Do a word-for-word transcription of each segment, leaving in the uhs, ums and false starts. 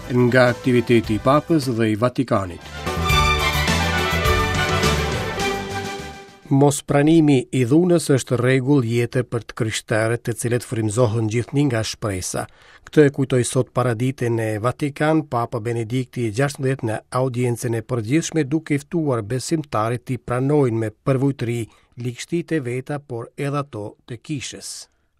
Nga aktiviteti i Papës dhe i Vatikanit. Mospranimi i dhunës është rregull jete për të krishterët, të cilët frymëzohen gjithnjë nga shpresa. Këtë e kujtoi sot paradite në Vatikan Papa Benedikti i gjashtëmbëdhjetë në audiencën e përgjithshme, duke ftuar besimtarët t'i pranojnë me përvujtëri ligështitë e veta, por edhe ato të kishës.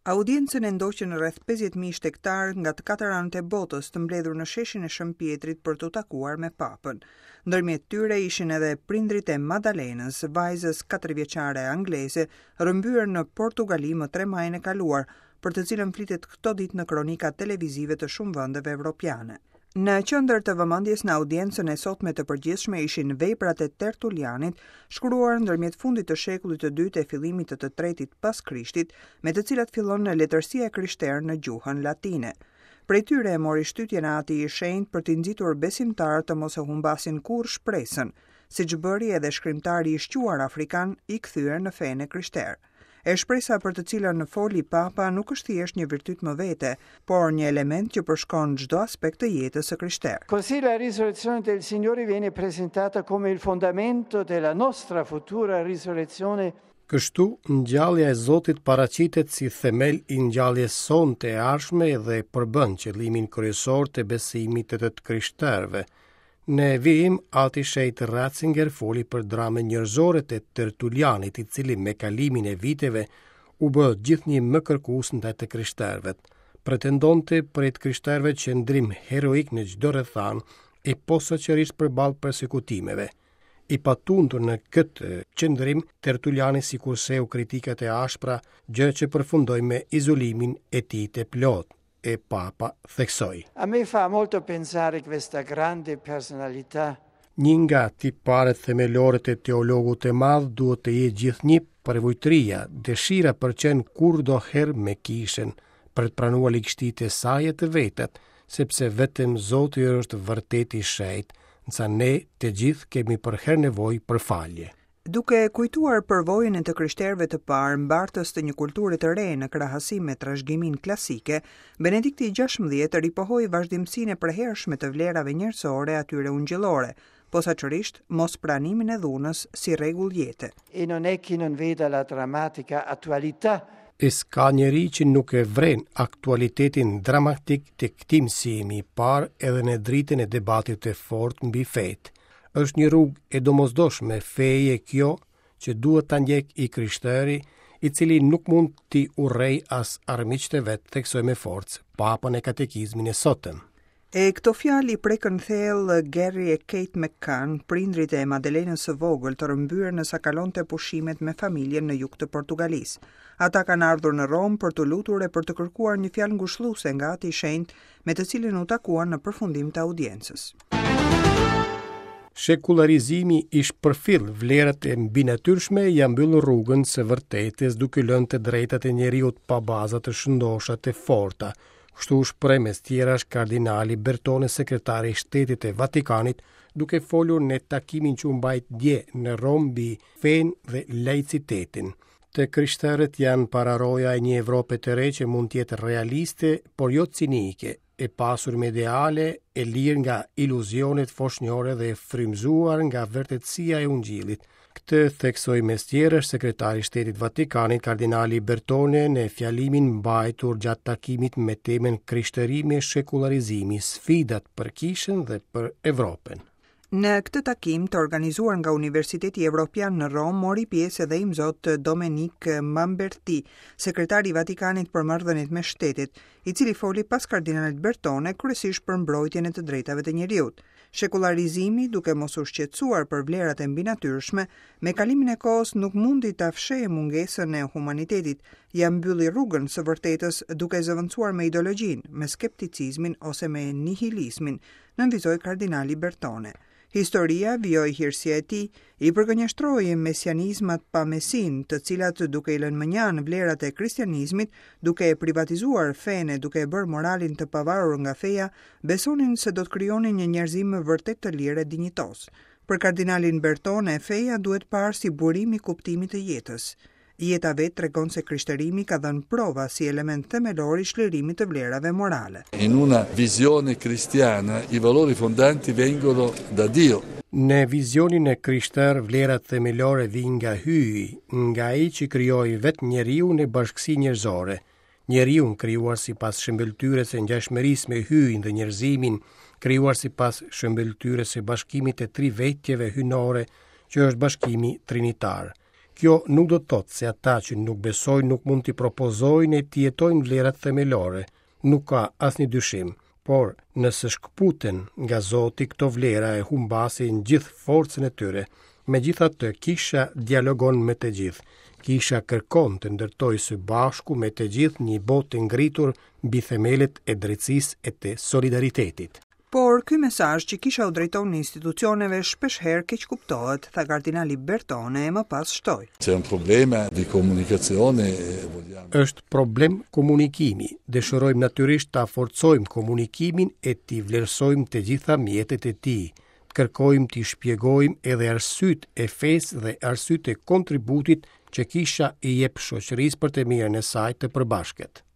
Audiencën e ndoqën rreth pesëdhjetë mijë shtegtarë nga të katër anët e botës të mbledhur në sheshin e Shën Pietrit për t'u takuar me Papën. Ndërmjet tyre ishin edhe prindrit e Madalenës, vajzës katërvjeçare angleze, rrëmbyer në Portugali më tre majin e kaluar, për të cilën flitet këto ditë në kronikat televizive të shumë vendeve evropiane. Në qendër të vëmendjes në audiencën e sotme të përgjithshme ishin veprat e Tertulianit, shkruar ndërmjet fundit të shekullit të dytë e fillimit të të tretit pas Krishtit, me të cilat fillon letërsia e krishterë në gjuhën latine. Prej tyre e mori shtytjen e Ati i Shenjtë për t'i nxitur besimtarët të mos e humbasin kurrë shpresën, siç bëri edhe shkrimtari i shquar afrikan i kthyer në fenë e krishterë. E shpresa për të cilën foli Papa nuk është thjesht një virtyt më vete, por një element që përshkon çdo aspekt të jetës së krishterë. Così la risurrezione del Signore viene presentata come il fondamento della nostra futura risurrezione. Kështu, ngjallja e Zotit paraqitet si themel i ngjalljes sonë të ardhshme dhe përbën qëllimin kryesor të besimit të të krishterëve. Në vijim, Ati Shenjt Ratzinger foli për dramën njerëzore të Tertulianit, i cili me kalimin e viteve u bë gjithnjë më kërkues ndaj të krishterëve. Pretendonte prej të krishterëve qëndrim heroik në çdo rrethanë e posaçërisht përballë persekutimeve. I patundur në këtë qëndrim, Tertuliani sikurseu kritikat e ashpra, gjë që përfundoi me izolimin e tij të plotë. E Papa theksoi. A me fa molto pensare questa grande personalità. Një nga tiparet themelore të teologut të madh duhet të jetë gjithnjë përvujtëria, dëshira për qenë kurdoherë me kishën, për të pranuar ligështitë e saj e të vetat, sepse vetëm Zoti është vërtet i shenjtë, ndërsa ne të gjithë kemi përherë nevojë për falje. Duke kujtuar përvojën e të krishterëve të parë, mbartës të një kulture të re në krahasim me trashëgiminë klasike, Benedikti i gjashtëmbëdhjetë ripohoi vazhdimsinë e përhershme të vlerave njerëzore atyre ungjillore, posaçërisht mospranimin e dhunës si rregull jete. E non è chi non veda la drammatica attualità. E s'ka njeri që nuk e vren aktualitetin dramatik të këtij mësimi, parë edhe në dritën e debatit të fortë mbi fetë. Është një rrugë e domosdoshme feje kjo që duhet ta ndjek i krishteri, i cili nuk mund t'i urrej as armiqtë e vet, theksoi me forcë Papa në katekizmin e sotëm. E këto fjalë i prekën thellë Gary e Kate McCann, prindrit e Madelenës së vogël të rrëmbyer nësa kalonte pushimet me familjen në jug të Portugalisë. Ata kanë ardhur në Romë për t'u lutur e për të kërkuar një fjalë ngushëlluese nga Ati i Shenjtë, me të cilin u takuan në përfundim të audiencës. Shekullarizimi i shpërfill vlerat e mbinatyrshme ja mbyll rrugën së vërtetës, duke lënë të drejtat e njeriut pa baza të shëndosha të forta. Kështu u shpreh mes tjerash kardinali Bertone, sekretari i Shtetit të Vatikanit, duke folur në takimin që u mbajt dje në Romë mbi fenë dhe laicitetin. Të krishterët janë pararoja e një Evrope të re që mund të jetë realiste, por jo cinike, e pasur me ideale, e lirë nga iluzionet foshnjore dhe e frymëzuar nga vërtetësia e Ungjillit. Këtë theksoi mes tjerësh sekretari i Shtetit Vatikanit, kardinali Bertone, në fjalimin mbajtur gjatë takimit me temën Krishterimi e shekullarizimi, sfidat për kishën dhe për Evropën. Në këtë takim të organizuar nga Universiteti Evropian në Romë mori pjesë edhe imzot Domenic Mamberti, sekretari i Vatikanit për marrëdhëniet me shtetet, i cili foli pas kardinalit Bertone kryesisht për mbrojtjen e të drejtave të njeriut. Shekullarizimi, duke mos u shqetësuar për vlerat e mbinatyrshme, me kalimin e kohës nuk mundi ta fshehë mungesën e humanitetit, ja mbylli rrugën së vërtetës duke zëvendësuar me ideologjinë, me skepticizmin ose me nihilizmin, nënvizoi kardinali Bertone. Historia, vijoi hirësia e tij, i përgënjeshtroi mesianizmat pa mesin, të cilat duke i lënë mënjanë vlerat e kristianizmit, duke e privatizuar fenë, duke e bërë moralin të pavarur nga feja, besonin se do të krijonin një njerëzim vërtet të lirë e dinjitos. Për kardinalin Bertone, feja duhet parë si burim i kuptimit të jetës. Jeta vetë tregon se krishterimi ka dhënë prova si element themelor i çlirimit të vlerave morale. In una visione cristiana i valori fondanti vengono da Dio. Në vizionin e krishterë, vlerat themelore vijnë nga Hyji, nga ai që krijoi vetë njeriun e bashkësinë njerëzore. Njeriun krijuar sipas shëmbëlltyrës e ngjashmërisë me Hyjin dhe njerëzimin, krijuar sipas shëmbëlltyrës së bashkimit të tri vetjeve hyjnore, që është bashkimi trinitar. Kjo nuk do të thotë se ata që nuk besojnë nuk mund t'i propozojnë e t'i jetojnë vlerat themelore. Nuk ka asnjë dyshim, por nëse shkëputen nga Zoti, këto vlera e humbasin gjithë forcën e tyre. Megjithatë, kisha dialogon me të gjithë. Kisha kërkon të ndërtojë së bashku me të gjithë një botë të ngritur mbi themelet e drejtësisë e të solidaritetit. Por ky mesazh që kisha u drejton institucioneve shpesh herë keq kuptohet, tha kardinali Bertone e më pas shtoi. C'è un problema di comunicazione e vogliamo Është problem komunikimi. Dëshirojmë natyrisht ta forcojmë komunikimin e t'i vlerësojmë të gjitha mjetet e tij. Të kërkojmë t'i shpjegojmë edhe arsyet e fesë dhe arsyet e kontributit që kisha i jep shoqërisë për të mirën e saj të përbashkët.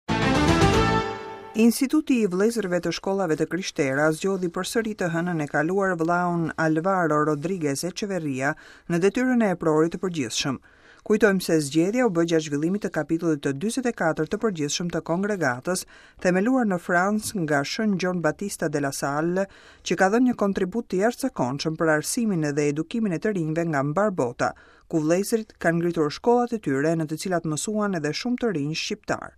Instituti i Vëllezërve të Shkollave të Krishtera zgjodhi përsëri të hënën e kaluar vëllaun Alvaro Rodriguez Echeverria në detyrën e eprorit të përgjithshëm. Kujtojmë se zgjedhja u bë gjatë zhvillimit të kapitullit të dyzet e katër të përgjithshëm të kongregatës, themeluar në Francë nga Shën Gjon Battista de la Salle, që ka dhënë një kontribut të jashtëzakonshëm për arsimin dhe edukimin e të rinjve nga mbar bota, ku vëllezërit kanë ngritur shkollat e tyre në të cilat mësuan edhe shumë të rinj shqiptar.